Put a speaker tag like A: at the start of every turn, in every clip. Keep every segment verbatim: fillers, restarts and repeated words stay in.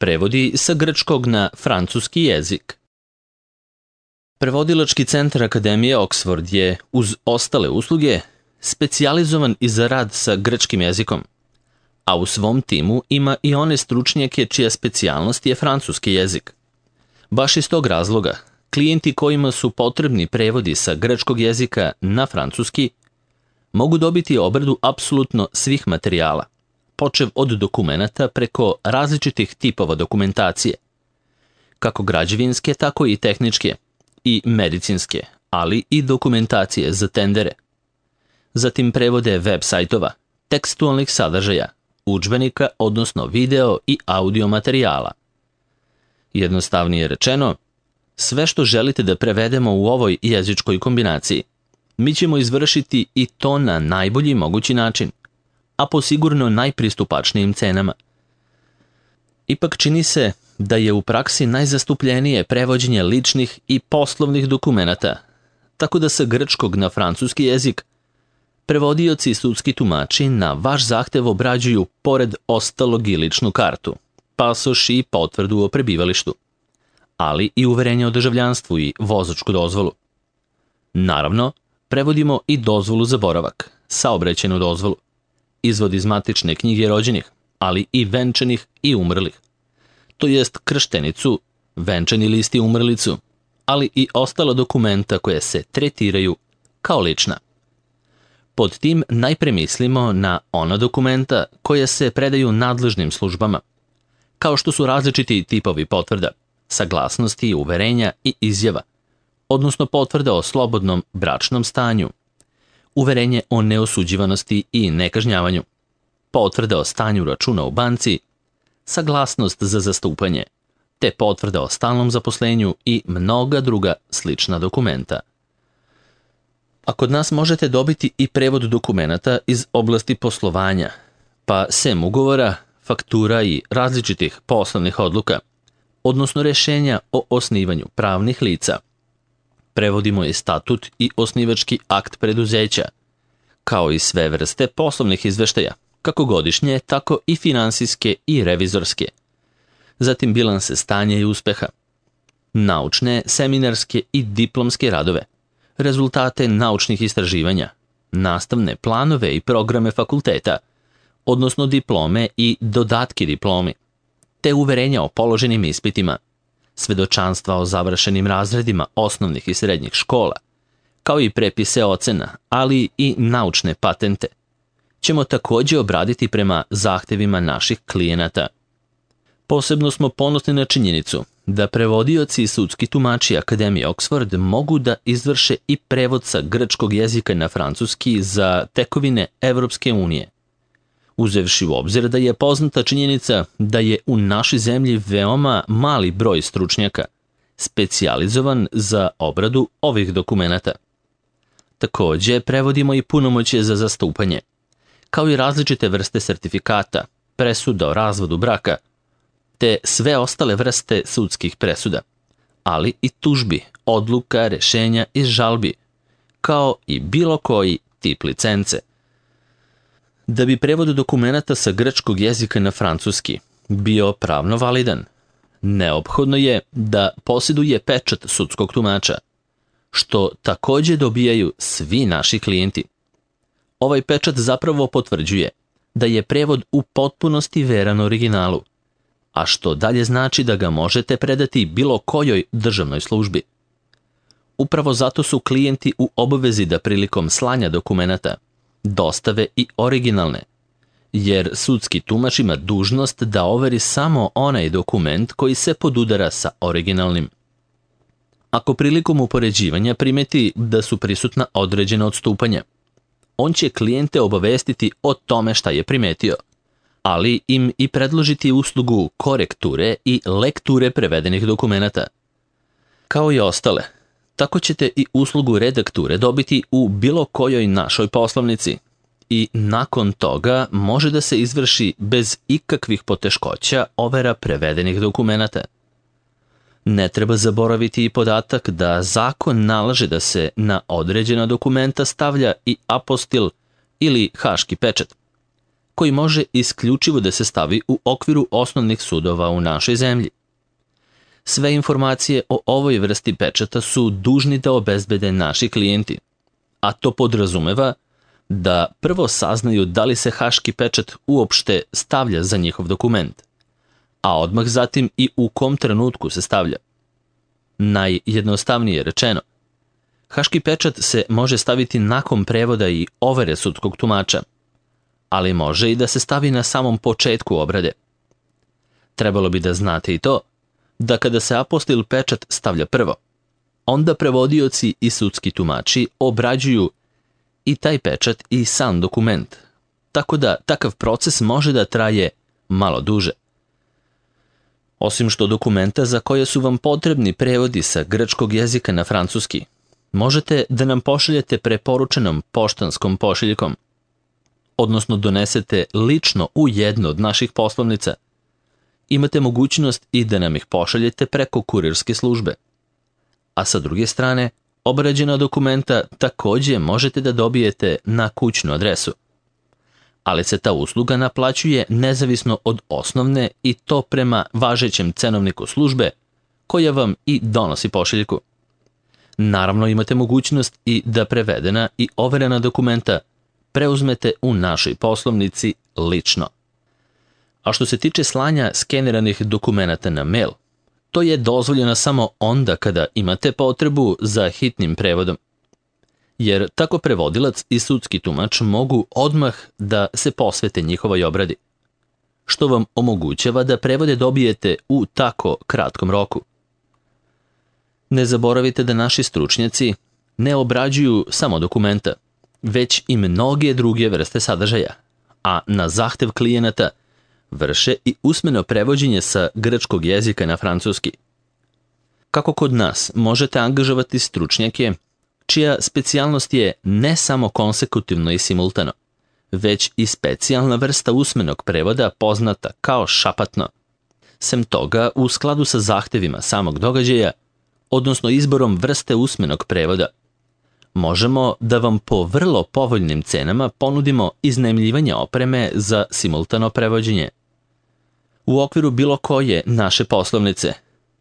A: Prevodi sa grčkog na francuski jezik. Prevodilački centar Akademije Oxford je, uz ostale usluge, specijalizovan i za rad sa grčkim jezikom, a u svom timu ima i one stručnjake čija specijalnost je francuski jezik. Baš iz tog razloga, klijenti kojima su potrebni prevodi sa grčkog jezika na francuski mogu dobiti obradu apsolutno svih materijala, počev od dokumenata preko različitih tipova dokumentacije, kako građevinske, tako i tehničke i medicinske, ali i dokumentacije za tendere. Zatim prevode web sajtova, tekstualnih sadržaja, udžbenika, odnosno video i audio materijala. Jednostavnije rečeno, sve što želite da prevedemo u ovoj jezičkoj kombinaciji, mi ćemo izvršiti i to na najbolji mogući način, a po sigurno najpristupačnijim cenama. Ipak čini se da je u praksi najzastupljenije prevođenje ličnih i poslovnih dokumenata, tako da sa grčkog na francuski jezik prevodioci i sudski tumači na vaš zahtev obrađuju pored ostalog i ličnu kartu, pasoš i potvrdu o prebivalištu, ali i uverenje o državljanstvu i vozačku dozvolu. Naravno, prevodimo i dozvolu za boravak, saobraćajnu dozvolu, izvod iz matične knjige rođenih, ali i venčanih i umrlih, to jest krštenicu, venčani list i umrlicu, ali i ostala dokumenta koje se tretiraju kao lična. Pod tim najpre mislimo na ona dokumenta koja se predaju nadležnim službama, kao što su različiti tipovi potvrda, saglasnosti, uverenja i izjava, odnosno potvrda o slobodnom bračnom stanju, uverenje o neosuđivanosti i nekažnjavanju, potvrda o stanju računa u banci, saglasnost za zastupanje, te potvrda o stalnom zaposlenju i mnoga druga slična dokumenta. A kod nas možete dobiti i prevod dokumenata iz oblasti poslovanja, pa sem ugovora, faktura i različitih poslovnih odluka, odnosno rješenja o osnivanju pravnih lica. Prevodimo i statut i osnivački akt preduzeća, kao i sve vrste poslovnih izveštaja, kako godišnje, tako i finansijske i revizorske. Zatim bilanse stanja i uspeha, naučne, seminarske i diplomske radove, rezultate naučnih istraživanja, nastavne planove i programe fakulteta, odnosno diplome i dodatke diplomi, te uverenja o položenim ispitima, svedočanstva o završenim razredima osnovnih i srednjih škola, kao i prepise ocena, ali i naučne patente, ćemo također obraditi prema zahtevima naših klijenata. Posebno smo ponosni na činjenicu da prevodioci i sudski tumači Akademije Oxford mogu da izvrše i prevod sa grčkog jezika na francuski za tekovine Evropske unije, uzevši u obzir da je poznata činjenica da je u našoj zemlji veoma mali broj stručnjaka specijalizovan za obradu ovih dokumenata. Također prevodimo i punomoćje za zastupanje, kao i različite vrste sertifikata, presuda o razvodu braka, te sve ostale vrste sudskih presuda, ali i tužbi, odluka, rješenja i žalbi, kao i bilo koji tip licence. Da bi prevod dokumenata sa grčkog jezika na francuski bio pravno validan, neophodno je da posjeduje pečat sudskog tumača, što također dobijaju svi naši klijenti. Ovaj pečat zapravo potvrđuje da je prevod u potpunosti veran originalu, a što dalje znači da ga možete predati bilo kojoj državnoj službi. Upravo zato su klijenti u obavezi da prilikom slanja dokumenata dostave i originalne, jer sudski tumač ima dužnost da overi samo onaj dokument koji se podudara sa originalnim. Ako prilikom upoređivanja primeti da su prisutna određena odstupanja, on će klijente obavestiti o tome šta je primetio, ali im i predložiti uslugu korekture i lekture prevedenih dokumenata. Kao i ostale, tako ćete i uslugu redakture dobiti u bilo kojoj našoj poslovnici i nakon toga može da se izvrši bez ikakvih poteškoća overa prevedenih dokumenata. Ne treba zaboraviti i podatak da zakon nalaže da se na određena dokumenta stavlja i apostil ili haški pečat, koji može isključivo da se stavi u okviru osnovnih sudova u našoj zemlji. Sve informacije o ovoj vrsti pečata su dužni da obezbede naši klijenti, a to podrazumeva da prvo saznaju da li se haški pečat uopšte stavlja za njihov dokument, a odmah zatim i u kom trenutku se stavlja. Najjednostavnije rečeno, haški pečat se može staviti nakon prevoda i overe sudskog tumača, ali može i da se stavi na samom početku obrade. Trebalo bi da znate i to, da kada se apostil pečat stavlja prvo, onda prevodioci i sudski tumači obrađuju i taj pečat i sam dokument, tako da takav proces može da traje malo duže. Osim što dokumenta za koje su vam potrebni prevodi sa grčkog jezika na francuski, možete da nam pošaljete preporučenom poštanskom pošiljkom, odnosno donesete lično u jednu od naših poslovnica. Imate mogućnost i da nam ih pošaljete preko kurirske službe. A sa druge strane, obrađena dokumenta takođe možete da dobijete na kućnu adresu. Ali se ta usluga naplaćuje nezavisno od osnovne i to prema važećem cenovniku službe koja vam i donosi pošiljku. Naravno imate mogućnost i da prevedena i overena dokumenta preuzmete u našoj poslovnici lično. A što se tiče slanja skeniranih dokumenata na mail, to je dozvoljeno samo onda kada imate potrebu za hitnim prevodom, jer tako prevodilac i sudski tumač mogu odmah da se posvete njihovoj obradi, što vam omogućava da prevode dobijete u tako kratkom roku. Ne zaboravite da naši stručnjaci ne obrađuju samo dokumenta, već i mnoge druge vrste sadržaja, a na zahtev klijenata vrše i usmeno prevođenje sa grčkog jezika na francuski. Kako kod nas možete angažovati stručnjake čija specijalnost je ne samo konsekutivno i simultano, već i specijalna vrsta usmenog prevoda poznata kao šapatno. Sem toga, u skladu sa zahtevima samog događaja, odnosno izborom vrste usmenog prevoda, možemo da vam po vrlo povoljnim cenama ponudimo iznajmljivanje opreme za simultano prevođenje. U okviru bilo koje naše poslovnice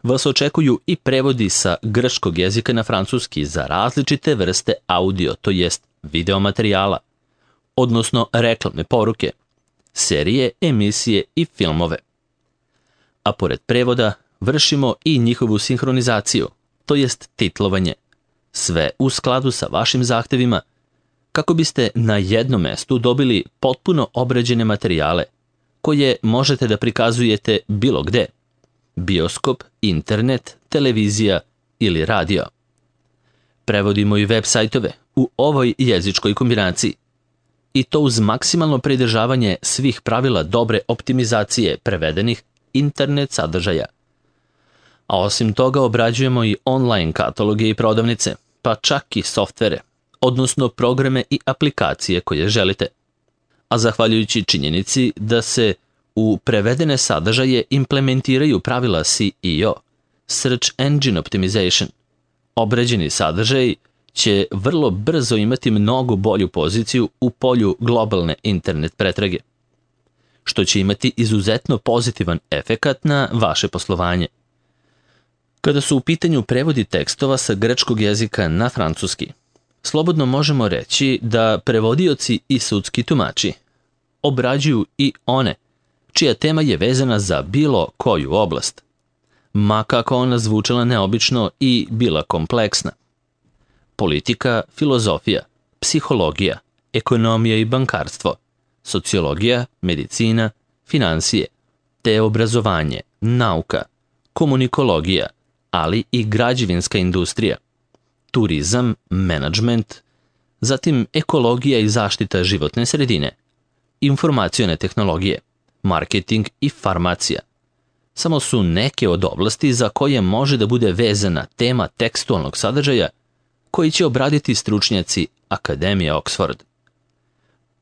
A: vas očekuju i prevodi sa grčkog jezika na francuski za različite vrste audio, to jest video materijala, odnosno reklamne poruke, serije, emisije i filmove. A pored prevoda vršimo i njihovu sinhronizaciju, to jest titlovanje, sve u skladu sa vašim zahtevima, kako biste na jednom mestu dobili potpuno obrađene materijale, koje možete da prikazujete bilo gde, bioskop, internet, televizija ili radio. Prevodimo i web sajtove u ovoj jezičkoj kombinaciji, i to uz maksimalno pridržavanje svih pravila dobre optimizacije prevedenih internet sadržaja. A osim toga obrađujemo i online kataloge i prodavnice, pa čak i softvere, odnosno programe i aplikacije koje želite. A zahvaljujući činjenici da se u prevedene sadržaje implementiraju pravila S E O, Search Engine Optimization, obrađeni sadržaj će vrlo brzo imati mnogo bolju poziciju u polju globalne internet pretrage, što će imati izuzetno pozitivan efekat na vaše poslovanje. Kada su u pitanju prevodi tekstova sa grčkog jezika na francuski, slobodno možemo reći da prevodioci i sudski tumači obrađuju i one čija tema je vezana za bilo koju oblast, ma kako ona zvučala neobično i bila kompleksna. Politika, filozofija, psihologija, ekonomija i bankarstvo, sociologija, medicina, finansije, te obrazovanje, nauka, komunikologija, ali i građevinska industrija, turizam, menadžment, zatim ekologija i zaštita životne sredine, informacione tehnologije, marketing i farmacija. Samo su neke od oblasti za koje može da bude vezana tema tekstualnog sadržaja koji će obraditi stručnjaci Akademije Oxford.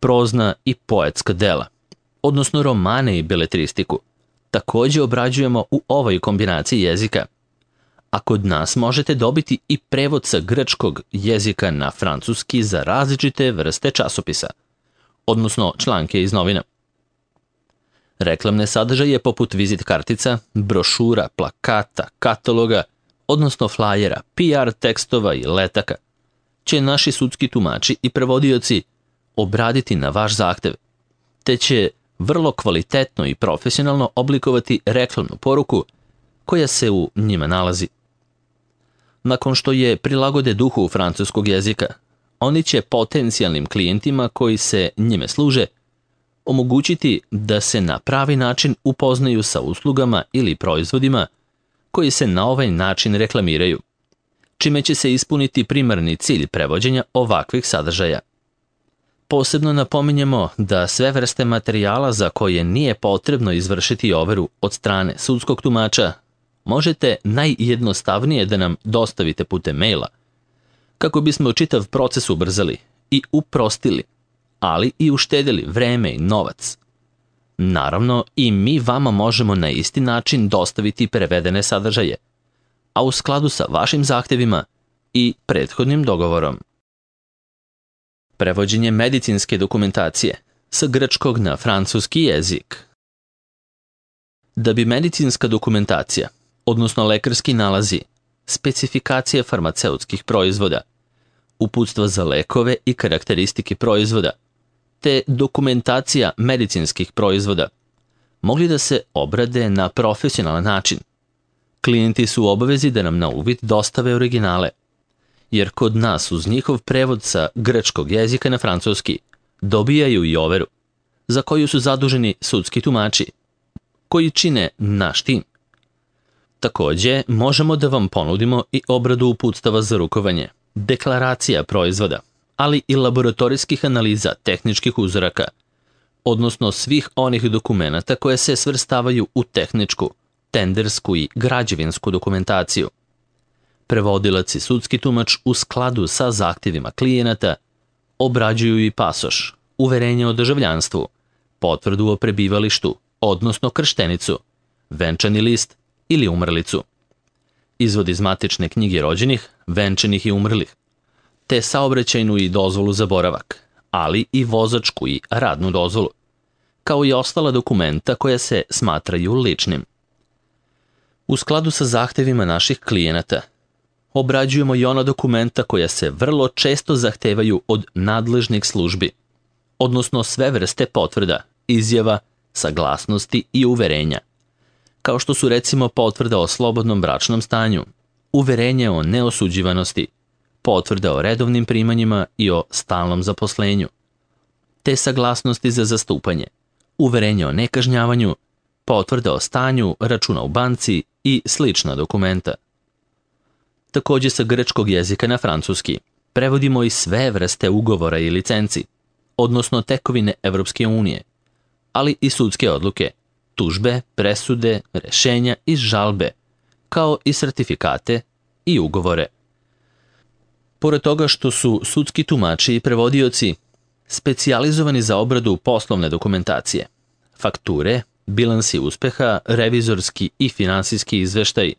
A: Prozna i poetska dela, odnosno romane i beletristiku, takođe obrađujemo u ovoj kombinaciji jezika, a kod nas možete dobiti i prevod sa grčkog jezika na francuski za različite vrste časopisa, odnosno članke iz novina, Reklamne sadržaje poput vizit kartica, brošura, plakata, kataloga, odnosno flajera, P R tekstova i letaka, će naši sudski tumači i prevodioci obraditi na vaš zahtev, te će vrlo kvalitetno i profesionalno oblikovati reklamnu poruku koja se u njima nalazi. Nakon što je prilagode duhu francuskog jezika, oni će potencijalnim klijentima koji se njime služe omogućiti da se na pravi način upoznaju sa uslugama ili proizvodima koji se na ovaj način reklamiraju, čime će se ispuniti primarni cilj prevođenja ovakvih sadržaja. Posebno napominjemo da sve vrste materijala za koje nije potrebno izvršiti overu od strane sudskog tumača možete najjednostavnije da nam dostavite putem maila, kako bismo čitav proces ubrzali i uprostili, ali i uštedili vreme i novac. Naravno, i mi vama možemo na isti način dostaviti prevedene sadržaje, a u skladu sa vašim zahtevima i prethodnim dogovorom. Prevođenje medicinske dokumentacije sa grčkog na francuski jezik. Da bi medicinska dokumentacija, odnosno lekarski nalazi, specifikacije farmaceutskih proizvoda, uputstva za lekove i karakteristike proizvoda, te dokumentacija medicinskih proizvoda, mogli da se obrade na profesionalan način, klijenti su u obavezi da nam na uvid dostave originale, jer kod nas uz njihov prevod sa grčkog jezika na francuski dobijaju i overu, za koju su zaduženi sudski tumači, koji čine naš tim. Takođe, možemo da vam ponudimo i obradu uputstava za rukovanje, deklaracija proizvoda, ali i laboratorijskih analiza tehničkih uzoraka, odnosno svih onih dokumenata koje se svrstavaju u tehničku, tendersku i građevinsku dokumentaciju. Prevodilac i sudski tumač u skladu sa zahtjevima klijenata obrađuju i pasoš, uverenje o državljanstvu, potvrdu o prebivalištu, odnosno krštenicu, venčani list ili umrlicu, izvod iz matične knjige rođenih, venčanih i umrlih, te saobraćajnu i dozvolu za boravak, ali i vozačku i radnu dozvolu, kao i ostala dokumenta koja se smatraju ličnim. U skladu sa zahtevima naših klijenata, obrađujemo i ona dokumenta koja se vrlo često zahtevaju od nadležnih službi, odnosno sve vrste potvrda, izjava, saglasnosti i uverenja, kao što su recimo potvrda o slobodnom bračnom stanju, uverenje o neosuđivanosti, potvrda o redovnim primanjima i o stalnom zaposlenju, te saglasnosti za zastupanje, uverenje o nekažnjavanju, potvrda o stanju računa u banci i slična dokumenta. Takođe sa grčkog jezika na francuski prevodimo i sve vrste ugovora i licenci, odnosno tekovine Evropske unije, ali i sudske odluke, tužbe, presude, rešenja i žalbe, kao i sertifikate i ugovore. Pored toga što su sudski tumači i prevodioci specijalizovani za obradu poslovne dokumentacije, fakture, bilansi uspeha, revizorski i finansijski izveštaj,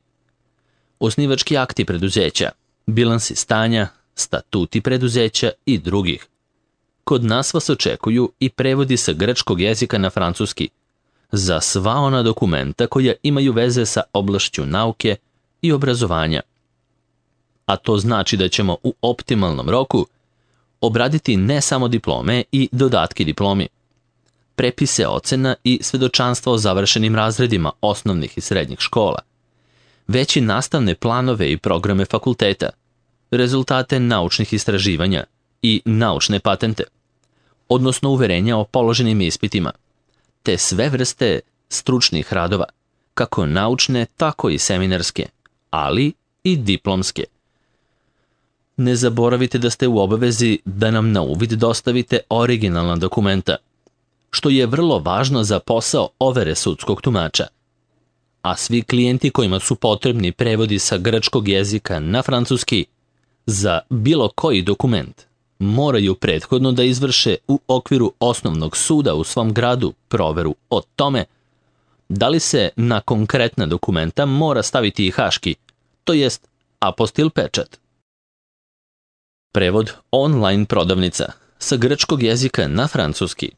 A: osnivački akti preduzeća, bilansi stanja, statuti preduzeća i drugih. Kod nas vas očekuju i prevodi sa grčkog jezika na francuski za sva ona dokumenta koja imaju veze sa oblašću nauke i obrazovanja. A to znači da ćemo u optimalnom roku obraditi ne samo diplome i dodatke diplomi, prepise ocena i svedočanstva o završenim razredima osnovnih i srednjih škola, već i nastavne planove i programe fakulteta, rezultate naučnih istraživanja i naučne patente, odnosno uverenja o položenim ispitima, te sve vrste stručnih radova, kako naučne, tako i seminarske, ali i diplomske. Ne zaboravite da ste u obavezi da nam na uvid dostavite originalna dokumenta, što je vrlo važno za posao overe sudskog tumača. A svi klijenti kojima su potrebni prevodi sa grčkog jezika na francuski za bilo koji dokument moraju prethodno da izvrše u okviru osnovnog suda u svom gradu proveru o tome da li se na konkretna dokumenta mora staviti i haški, to jest apostil pečat. Prevod online prodavnica sa grčkog jezika na francuski.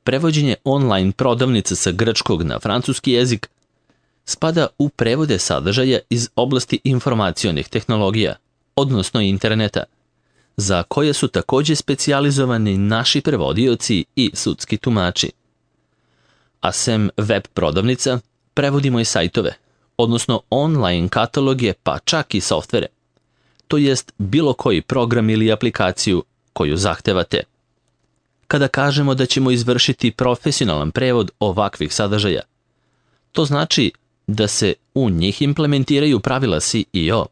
A: prevođenje online prodavnice sa grčkog na francuski jezik spada u prevode sadržaja iz oblasti informacionih tehnologija, odnosno interneta, za koje su također specijalizovani naši prevodioci i sudski tumači. A sem web prodavnica, prevodimo i sajtove, odnosno online kataloge pa čak i softvere, to jest bilo koji program ili aplikaciju koju zahtevate. Kada kažemo da ćemo izvršiti profesionalan prevod ovakvih sadržaja, to znači da se u njih implementiraju pravila S E O,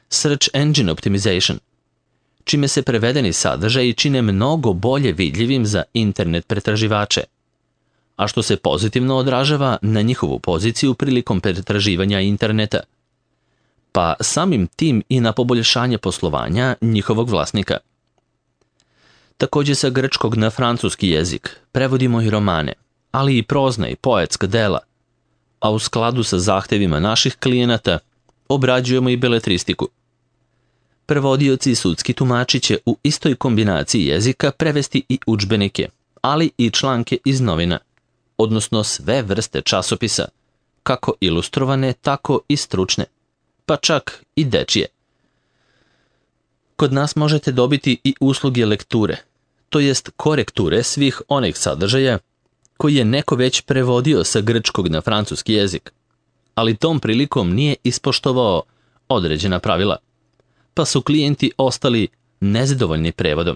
A: Search Engine Optimization, čime se prevedeni sadržaji čine mnogo bolje vidljivim za internet pretraživače, a što se pozitivno odražava na njihovu poziciju prilikom pretraživanja interneta, pa samim tim i na poboljšanje poslovanja njihovog vlasnika. Također sa grčkog na francuski jezik prevodimo i romane, ali i prozna i poetska dela, a u skladu sa zahtevima naših klijenata obrađujemo i beletristiku. Prevodioci i sudski tumači će u istoj kombinaciji jezika prevesti i udžbenike, ali i članke iz novina, odnosno sve vrste časopisa, kako ilustrovane, tako i stručne, pa čak i dečije. Kod nas možete dobiti i usluge lekture, to jest korekture svih onih sadržaja koji je neko već prevodio sa grčkog na francuski jezik, ali tom prilikom nije ispoštovao određena pravila, pa su klijenti ostali nezadovoljni prevodom.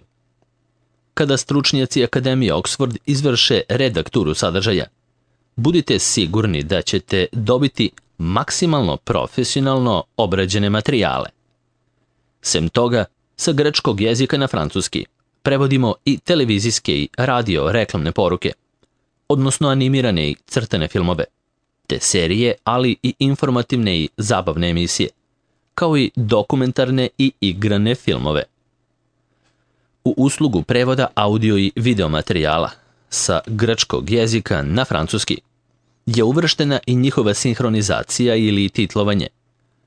A: Kada stručnjaci Akademije Oxford izvrše redakturu sadržaja, budite sigurni da ćete dobiti maksimalno profesionalno obrađene materijale. Sem toga, sa grčkog jezika na francuski prevodimo i televizijske i radio reklamne poruke, odnosno animirane i crtane filmove, te serije, ali i informativne i zabavne emisije, kao i dokumentarne i igrane filmove. U uslugu prevoda audio i video materijala sa grčkog jezika na francuski je uvrštena i njihova sinhronizacija ili titlovanje,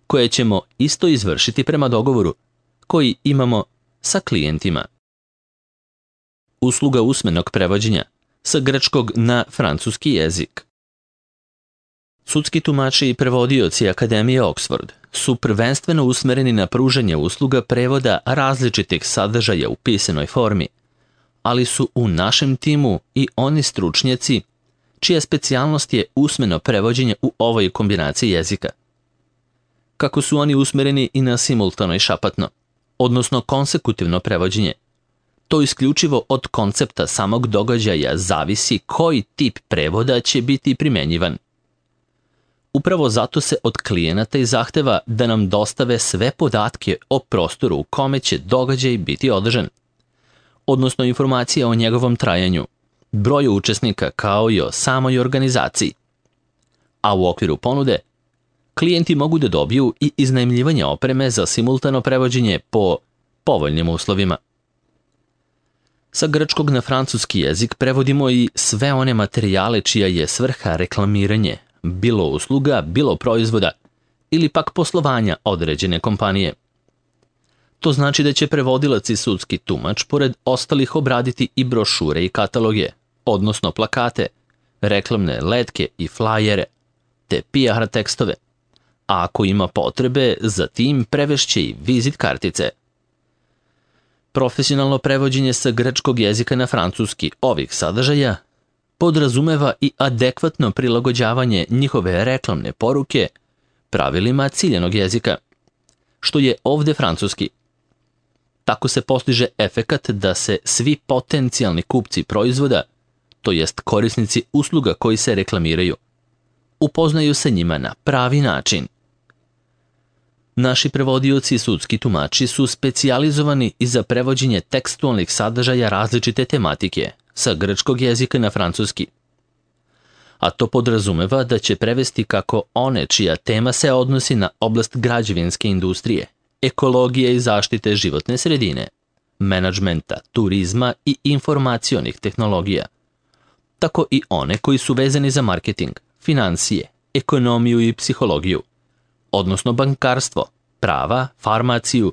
A: koje ćemo isto izvršiti prema dogovoru koji imamo sa klijentima. Usluga usmenog prevođenja sa grčkog na francuski jezik. Sudski tumači i prevodioci Akademije Oxford su prvenstveno usmereni na pružanje usluga prevoda različitih sadržaja u pisanoj formi, ali su u našem timu i oni stručnjaci čija specijalnost je usmeno prevođenje u ovoj kombinaciji jezika. Kako su oni usmereni i na simultano i šapatno, odnosno konsekutivno prevođenje, to isključivo od koncepta samog događaja zavisi koji tip prevoda će biti primjenjivan. Upravo zato se od klijenata i zahteva da nam dostave sve podatke o prostoru u kome će događaj biti održan, odnosno informacije o njegovom trajanju, broju učesnika kao i o samoj organizaciji. A u okviru ponude, klijenti mogu da dobiju i iznajmljivanje opreme za simultano prevođenje po povoljnim uslovima. Sa grčkog na francuski jezik prevodimo i sve one materijale čija je svrha reklamiranje, bilo usluga, bilo proizvoda ili pak poslovanja određene kompanije. To znači da će prevodilac i sudski tumač pored ostalih obraditi i brošure i kataloge, odnosno plakate, reklamne letke i flajere, te P R tekstove, a ako ima potrebe, za tim prevešće i vizit kartice. Profesionalno prevođenje sa grčkog jezika na francuski ovih sadržaja podrazumeva i adekvatno prilagođavanje njihove reklamne poruke pravilima ciljanog jezika, što je ovdje francuski. Tako se postiže efekat da se svi potencijalni kupci proizvoda, to jest korisnici usluga koji se reklamiraju, upoznaju sa njima na pravi način. Naši prevodioci i sudski tumači su specijalizovani i za prevođenje tekstualnih sadržaja različite tematike sa grčkog jezika na francuski. A to podrazumeva da će prevesti kako one čija tema se odnosi na oblast građevinske industrije, ekologije i zaštite životne sredine, menadžmenta, turizma i informacionih tehnologija, tako i one koji su vezani za marketing, financije, ekonomiju i psihologiju, odnosno bankarstvo, prava, farmaciju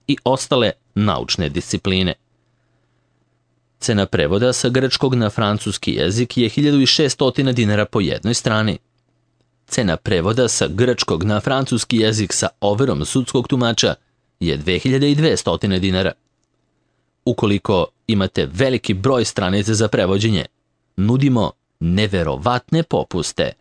A: i ostale naučne discipline. Cena prevoda sa grčkog na francuski jezik je hiljadu šesto dinara po jednoj strani. Cena prevoda sa grčkog na francuski jezik sa overom sudskog tumača je dve hiljade dvesta dinara. Ukoliko imate veliki broj stranica za prevođenje, nudimo neverovatne popuste.